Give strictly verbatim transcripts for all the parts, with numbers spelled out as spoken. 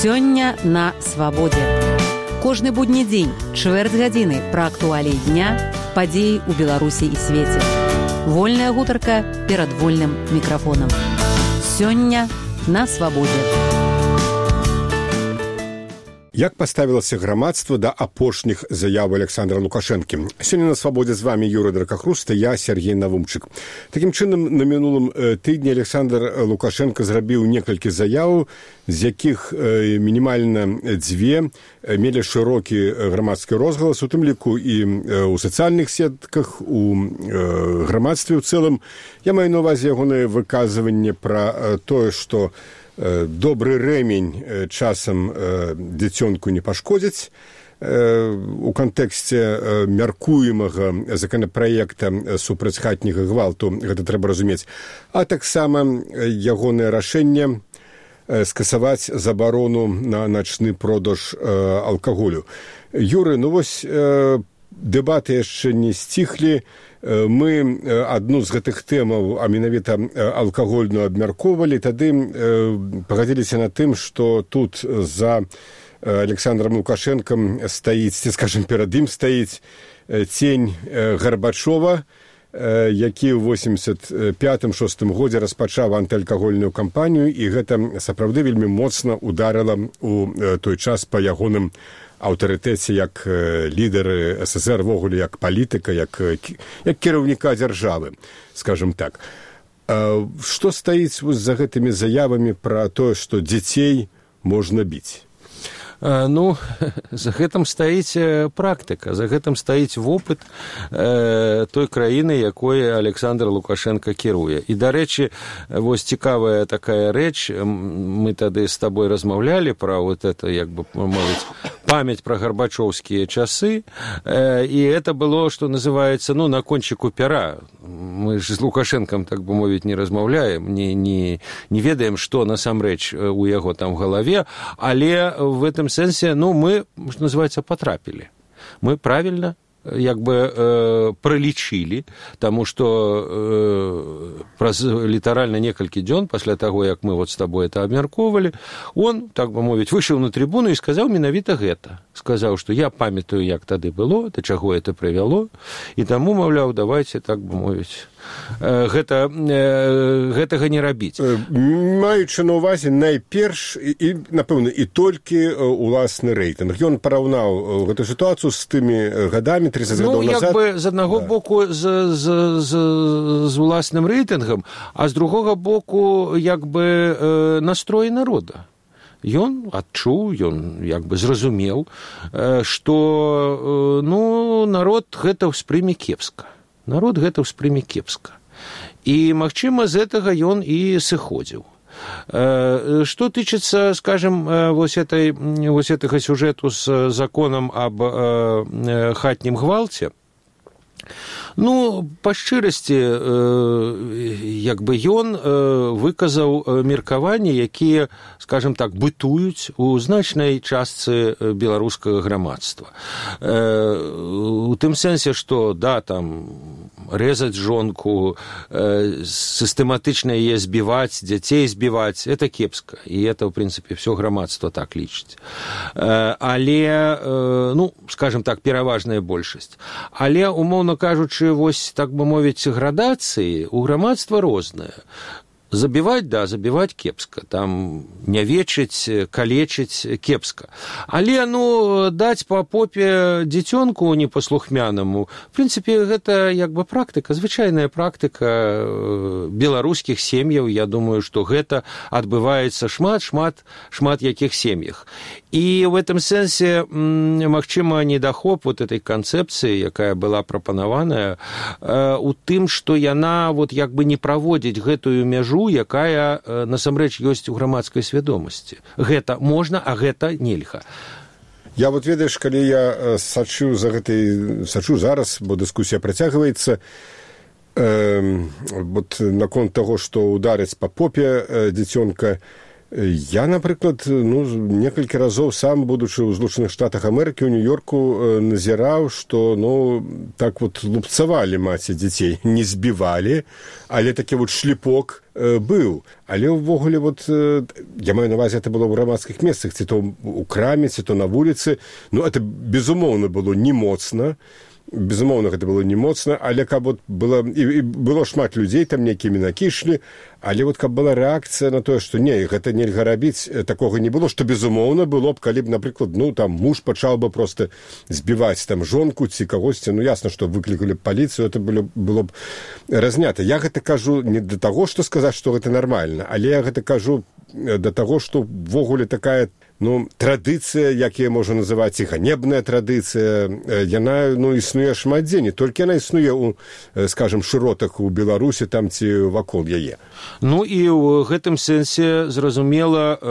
Сёння на свабодзе. Кожны будні дзень, чвэрць гадзіны пра актуаліі дня, падзеі ў Беларусі і свеце. Вольная гутарка перад вольным мікрафонам. Сёння на свабодзе. Як паставілася грамадства да апошніх заяў Александра Лукашэнкі? Сёння на свабодзе з вами Юрый Дракахруста, я Сергей Навумчык. Такім чынам, на мінулым тыдні Александр Лукашенко зрабіў некалькі заяў, з якіх мінімальна дзве мелі шырокі грамадскі розгалас, у тым ліку і ў сацыяльных сетках, у грамадстве ў цэлым. Я маю на ўвазе ягонае выказванне пра тое, што добры рэмень часам дзіцёнку не пашкодзіць. У кантэксце мяркуемага законапраекта супраць хатняга гвалту гэта трэба разумець. А таксама ягонае рашэнне скасаваць забарону на начны продаж алкаголю. Юры, ну вось дэбаты яшчэ не сціхлі. Мы адну з гэтых тэмаў, а менавіта алкагольную, абмяркоўвалі, тады пагадзіліся на тым, што тут за Александром Лукашэнкам стаіць, ці, скажем, перад ім стаіць цень Гарбачова, які ў восемьдесят пятым шостым годзе распачаў антыалкагольную кампанію, і гэта сапраўды вельмі моцна ударыла ў той час па ягоным аўтарытэце як лідары СССР, ввогуле як палітыка, як, як кіраўніка дзяржавы, скажем так. Што стаіць за гэтымі заявамі пра тое, што дзяцей можна біць? Ну, за гэтым стаіць практыка, за гэтым стаіць вопыт э, той краіны, якой Александр Лукашенко кіруе. І, дарэчы, вось цікавая такая рэч, мы тады з табой размаўлялі пра вот это, як бы мовіць, памяць пра гарбачоўскія часы, э, і это было, што называецца, ну, на кончику пера. Мы ж з Лукашэнкам, так бы мовіць, не размаўляем, не, не, не ведаем, што насамрэч у яго там в галаве, але в этом сэнсе, ну, мы, что называется, потрапили. Мы правильно, як бы, э, пролічылі, таму што э, праз літаральна некалькі дзён пасля таго, як мы вот с тобой это абмяркоўвалі, он, так бы мовіць, выйшаў на трибуну і сказаў менавіта гэта. Сказаў, што я памятаю, як тады было, да чаго это прывяло, і таму, маўляў, давайте, так бы мовіць, гэта, гэтага не рабіць. Маючы на ўвазе найперш і, напэўна, і толькі уласны рэйтынг. Ён параўнаў гэту сітуацыю з тымі гадамі, тридцать гадоў назад. Ну, як бы, з аднаго да. боку, з, з, з, з уласным рэйтынгам, а з другога боку, як бы, настрой народа. Ён адчуў, ён як бы зразумеў, што, ну, народ гэта ўспрыме кепска. Народ гэта ўспрыме кепска. І, магчыма, з гэтага ён і сыходзіў. Што тычыцца, скажем, вось, этой, вось гэтага сюжэту з законам аб хатнім гвалце, ну, па шчырасці, як бы ён выказаў меркаванні, якія, скажем так, бытуюць у значнай частцы беларускага грамадства. У тым сэнсе, што, да, там, резаць жонку, сістэматычна яе збіваць, дзяцей збіваць, это кепска. І это, в принципе, все грамадства так лічыць. Але, ну, скажем так, пераважная большасць. Але, умоўна кажучы, вось, так бы мовіць, градацыі у грамадства розныя. Забіваць, да, забіваць кепска, там нявечыць, калечыць кепска. Але, ну, даць па попе дзіцёнку непаслухмянаму, в прынцыпе, гэта як бы практыка, звычайная практыка беларускіх сем'яў. Я думаю, што гэта адбываецца шмат, шмат, шмат якіх сем'ях. І в этом сэнсе, магчыма, недахоп вот этой канцэпцыі, якая была прапанаваная, у тым, што яна вот як бы не праводзіць гэтую мяжу, якая насамрэч ёсць у грамадскай свядомасці. Гэта можна, а гэта нельга. Я вот, ведаеш, калі я сачу за гэтай, сачу зараз, бо дыскусія працягваецца, э, вот наконт таго, што ударыць па попе дзіцёнка, Я, напрыклад, ну, некалькі разоў сам, будучы ў Злучаных Штатах Амерыкі, у Нью-Йорку назіраў, што, ну, так вот лупцавалі маці дзяцей, не збівалі, але такі вот шліпок э, быў. Але ўвогуле, вот, э, я маю на увазе, это было ў грамадскіх месцах, ці то ў краме, ці то на вуліцы. Ну, это, безумоўна, было не моцна. Безумоўна, гэта было не моцна, але каб вот было, і, і было шмат людзей там нейкімі накішлі, але вот каб была рэакцыя на тое, што не, гэта нельга рабіць, такога не было, што безумоўна было б, калі б, напрыклад, ну, там муж пачаў бы проста збіваць там жонку ці кагосьці, ну, ясна, што выклікалі б паліцыю, это было, было б разнята. Я гэта кажу не да таго, што сказаць, што гэта нармальна, але я гэта кажу да таго, што ввогуле такая, ну, традыцыя, як яе можа называць, і ганебная традыцыя, яна, ну, існуе шмат дзе, не толькі яна існуе у, скажем, шыротах у Беларусі, там ці вакол яе. Ну, і ў гэтым сэнсе, зразумела, э,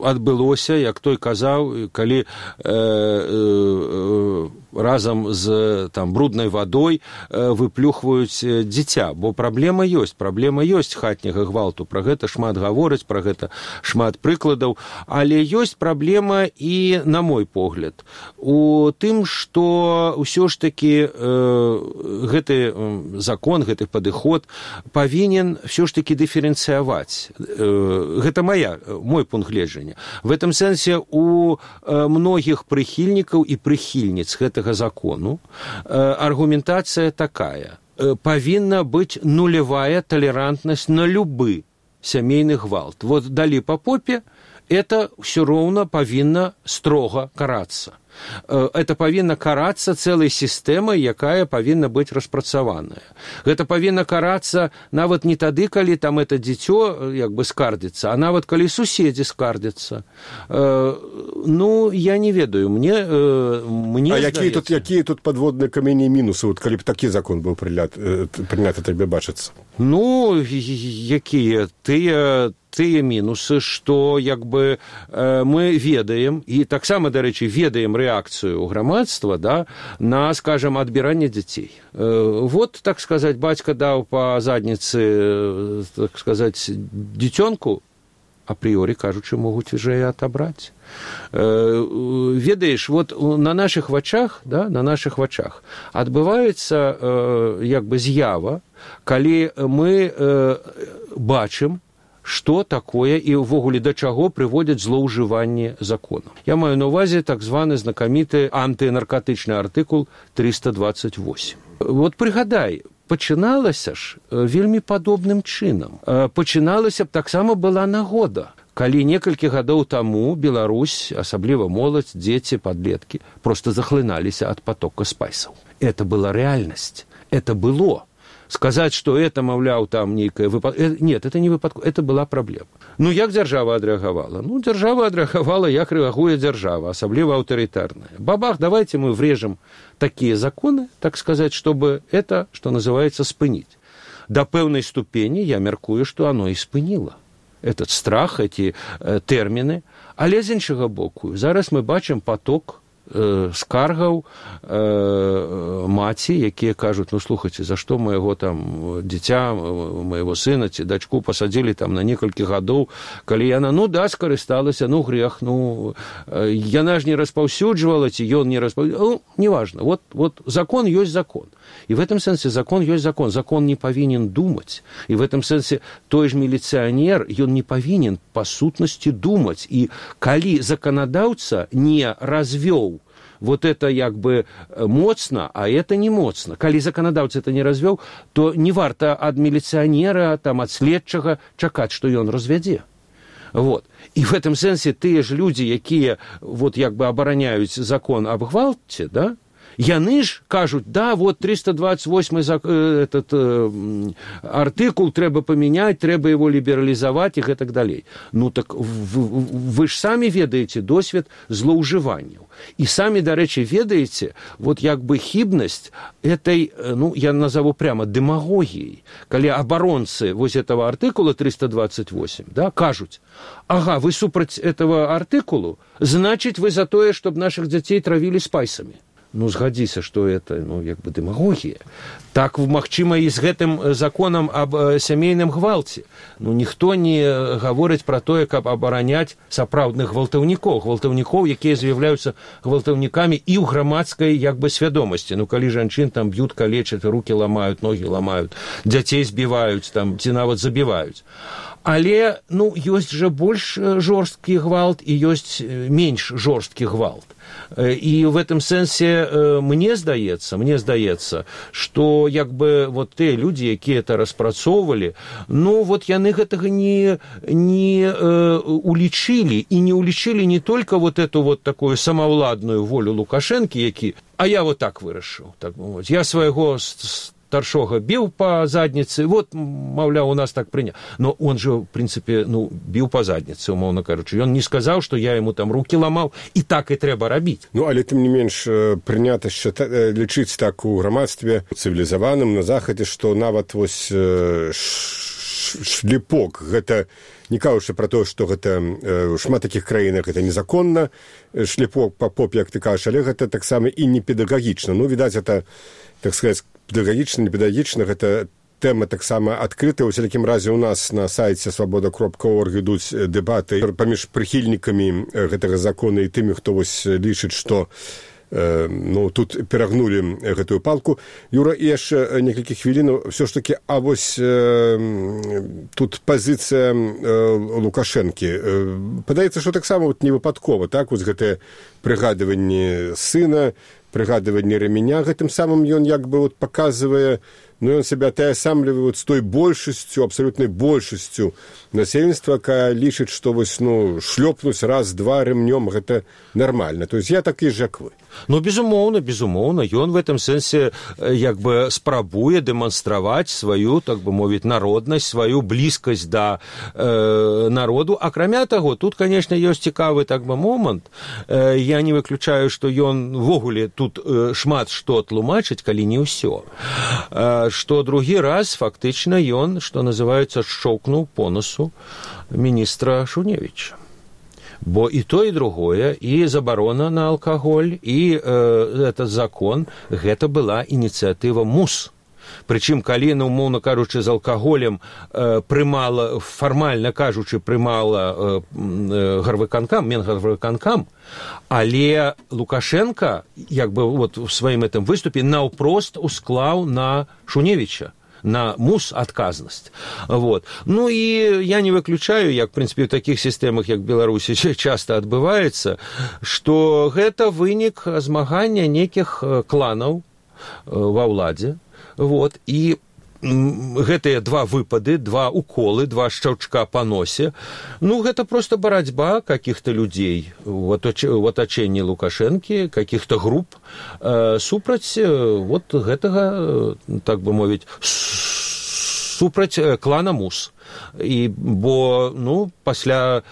адбылося, як той казаў, калі э, э, разам з там бруднай вадой э, выплюхваюць дзіця, бо праблема ёсць, праблема ёсць хатняга гвалту, пра гэта шмат гавораць, пра гэта шмат прыкладаў, але ёсць праблема і, на мой погляд, у тым, што ўсё ж такі э, гэты закон, гэты падыход павінен ўсё ж такі дыферэнцыяваць. Э, гэта моя, мой пункт гледжання. В этом сэнсе у э, многіх прыхільнікаў і прыхільніц гэтага закону э, аргументацыя такая. Э, павінна быць нулявая талерантнасць на любы сямейны гвалт. Вот далі па попе, это все роўна павінна строга карацца. Это павінна карацца цэлай сістэмай, якая павінна быць распрацаваная. Гэта павінна карацца нават не тады, калі там это дзіцё як бы скардзіцца, а нават калі суседзі скардзяцца. Ну, я не ведаю, мне, мне а якія тут, якія тут падводныя камені і мінусы, вот, калі б такі закон быў прыняты, табе бачыцца? Ну, якія? Тыя тыя мінусы, што як бы э, мы ведаем, і таксама, дарэчы, ведаем рэакцыю грамадства, да, на, скажем, адбіранне дзяцей. Э, вот, так сказаць, бацька даў па задніцы, так сказаць, дзіцёнку, апрыёрі, кажучы, могуць уже і атабраць. Э, ведаеш, вот на нашых вачах, да, на нашых вачах адбываецца э, як бы з'ява, калі мы э, бачым, што такое і ўвогуле да чаго прыводзяць злоўжыванне законам. Я маю на ўвазе так званы знакаміты антынаркатычны артыкул трыста дваццаць восем. Вот прыгадай, пачыналася ж вельмі падобным чынам. Пачыналася б таксама была нагода, калі некалькі гадоў таму Беларусь, асабліва моладзь, дзеці, падлеткі, проста захлыналіся ад потока спайсаў. Это была рэальнасць, это было. Сказаць, што это, маўляў, там нейкая выпад... Нет, это не выпадково, это была праблема. Ну, як дзяржава адрэагавала? Ну, дзяржава адрэагавала, як рэагуе дзяржава, асабліва аўтарытарная. Бабах, давайте мы врежем такие законы, так сказать, чтобы это, что называется, спынить. До пэўнай ступені я мяркую, што оно і спыніло. Этот страх, эти э, тэрміны. Але з іншага боку, зараз мы бачым поток скаргаў э, маці, якія кажуць, ну, слухайце, за што майго там дзіця, майго сына ці дачку пасадзілі там на некалькі гадоў, калі яна, ну, да, скарысталася, ну, грэх, ну, яна ж не распаўсюджвала, ці ён не распаўсюджвала, ну, неважно, вот, вот закон ёсць закон. И в этом сэнсе закон ёсць закон. Закон не павінен думаць. И в этом сэнсе той ж міліцыянер, ён не павінен па сутнасці думаць. И калі заканадаўца не развёў вот это як бы моцна, а это не моцна. Калі заканадаўца это не развёў, то не варта ад міліцыянера, там, ад следчага чакаць, што ён развядзе. Вот. И в этом сэнсе тыя ж людзі, якія вот як бы абараняюць закон аб гвалце, да, яны ж кажуць, да, вот триста двадцать восьмой этот э, артыкул трэба памяняць, трэба его лібералізаваць і гэтак далей. Ну так вы, вы ж самі ведаеце досвед злоўжыванняў. І самі, дарэчы, ведаеце, вот як бы хібнасць этой, ну, я назову прямо дэмагогіяй, калі абаронцы вось этого артыкула триста двадцать восемь, да, кажуць, ага, вы супраць этого артыкулу, значит, вы за тое, чтобы наших дзяцей травілі спайсамі. ну, згадзіся, што это, ну, як бы дэмагогія. Так, магчыма, і з гэтым законам аб сямейным гвалце. Ну, ніхто не гаворыць пра тое, каб абараняць сапраўдных гвалтаўнікоў, гвалтаўнікоў, якія з'яўляюцца гвалтаўнікамі і ў грамадскай, як бы, свядомасці. Ну, калі жанчын там б'ют, калечаць, рукі ламаюць, ногі ламаюць, дзяцей збіваюць, там, ці нават забіваюць. Але, ну, ёсць жа больш жорсткі гвалт і ёсць менш жорсткі гвалт. І в этом сэнсе мне здаецца, мне здаецца, што як бы вот тыя людзі, якія это распрацоўвалі, ну вот яны гэтага не, не э, улічылі, і не улічылі не только вот эту вот такую самаўладную волю Лукашэнкі, які, а я вот так вырашыў, так мовіць, я свайго старшога біў па задніцы, вот, маўляў, у нас так прыня. Но он же, в прынцыпе, ну, біў па задніцы, умоўна кажучы. Ён не сказаў, што я яму там рукі ламаў, і так і трэба рабіць. Ну, але тым не менш прынята лічыць так у грамадстве цывілізаваным на захадзе, што нават вось шліпок, гэта не кажучы пра тое, што гэта ў шмат такіх краінах гэта незаконна, шліпок па попе, як ты кажаш, але гэта таксама і не педагагічна. Ну, відаць, гэта, так сказаць, педагагічна, не педагагічна, гэта тэма таксама адкрытая. У всякім разе у нас на сайце свабода кропка орг ідуць дэбаты паміж прыхільнікамі гэтага закона і тымі, хто вось лічыць, што э, ну, тут перагнулі гэтую палку. Юра, і яшчэ некалькі хвілінаў. Всё ж такі, а вось э, тут пазіцыя э, Лукашэнкі. Э, падаецца, што таксама вот, не выпадкова, так, вось гэтае прыгадыванне сына, прыгадыванне рэменя, гэтым самым ён як бы вот паказвае, ну, ён сябе атаясамлівае вот з той большасцю, абсалютнай большасцю насельніцтва, якая лічыць, што вось, ну, шлёпнуць раз-два рэмнём, гэта нармальна. То есть я такі ж, як вы. Ну, безумоўна, безумоўна, ён в этом сэнсе як бы спрабуе дэманстраваць сваю, так бы мовіць, народнасць, сваю блізкасць да э, народу. Акрамя таго, тут, конечно, ёсць цікавы, так бы, момант. Э, я не выключаю, што ён ввогуле тут э, шмат што тлумачыць, калі не ўсё. Э, што другі раз, фактычна, ён, што называецца, шчоўкнуў по носу міністра Шуневіча. Бо і то, і другое, і забарона на алкаголь, і э, этот закон, гэта была ініцыятыва МУС. Прычым, калі, ну, умоўна кажучы, з алкаголем э, прымала, фармальна кажучы, прымала э, э, гарвыканкам, Менгарвыканкам, але Лукашенко, як бы, вот, в сваім этом выступе наўпрост усклаў на Шуневіча, на МУС адказнасць. Вот. Ну і я не выключаю, як, в прынцыпе, у такіх сістэмах, як Беларусі, часта адбываецца, што гэта вынік змагання нейкіх кланаў ва ўладзе. Вот. І гэтыя два выпады, два уколы, два шчаўчка па носе, ну, гэта проста барацьба каких-то людзей у атачэнні Лукашэнкі, каких-то груп э, супраць э, вот гэтага, так бы мовіць, супраць клана МУС. І, бо, ну, пасля,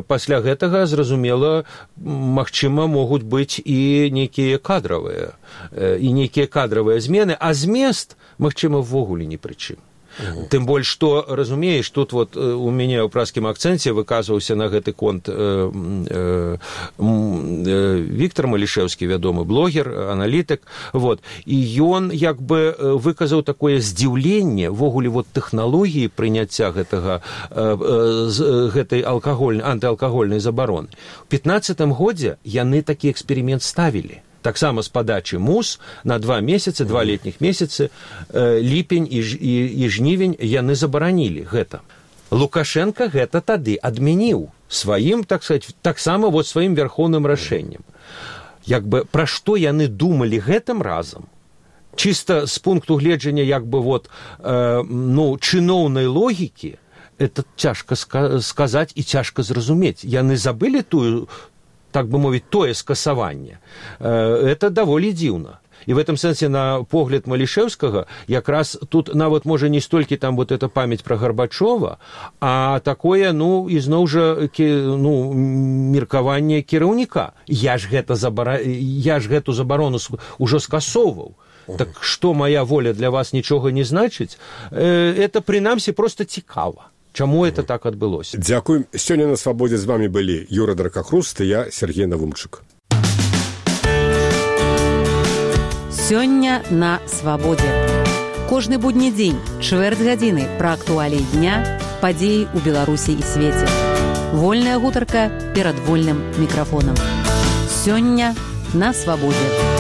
пасля гэтага, зразумела, магчыма, могуць быць і нейкія кадравыя, і нейкія кадравыя змены, а змест, магчыма, ввогуле ні пры чым. Угу. Тым больш, што, разумееш, тут вот у мяне ў праскім акцэнце выказваўся на гэты конт э, э, э, Віктор Малішэўскі, вядомы блогер, аналітык, вот, і ён як бы выказаў такое здзіўленне ввогуле вот тэхналогіі прыняцця гэтага, э, э, гэтай алкагольнай, антыалкагольнай забароны. У пятнаццатым годзе яны такі эксперымент ставілі. Таксама з падачы МУС на два месяцы, два летніх месяцы, э, ліпень і, і, і жнівень яны забаранілі гэта. Лукашенко гэта тады адмяніў сваім, так сказать, таксама вот сваім вярхоўным рашэннем. Як бы, пра што яны думалі гэтым разам? Чыста з пункту гледжання, як бы, вот, э, ну, чыноўнай логікі, это цяжка ска- сказаць і цяжка зразумець. Яны забылі тую, так бы мовіць, тое скасаванне. Это даволі дзіўна. І в этом сэнсе, на погляд Малішэўскага, якраз тут нават можа не столькі там вот эта памяць пра Гарбачова, а такое, ну, ізноў жа, ну, меркаванне кіраўніка. Я ж гэта забара... я ж гэту забарону ўжо скасоўваў. Так што мая воля для вас нічога не значыць? Это, прынамсі, проста цікава. Чаму это так адбылося? Дзякуй. Сёння на свабодзе з вамі былі Юра Дракахруст і я, Сергей Навумчык. Сёння на свабодзе. Кожны будні дзень, чвэрць гадзіны пра актуаліі дня, падзеі ў Беларусі і свеце. Вольная гутарка перад вольным мікрафонам. Сёння на свабодзе.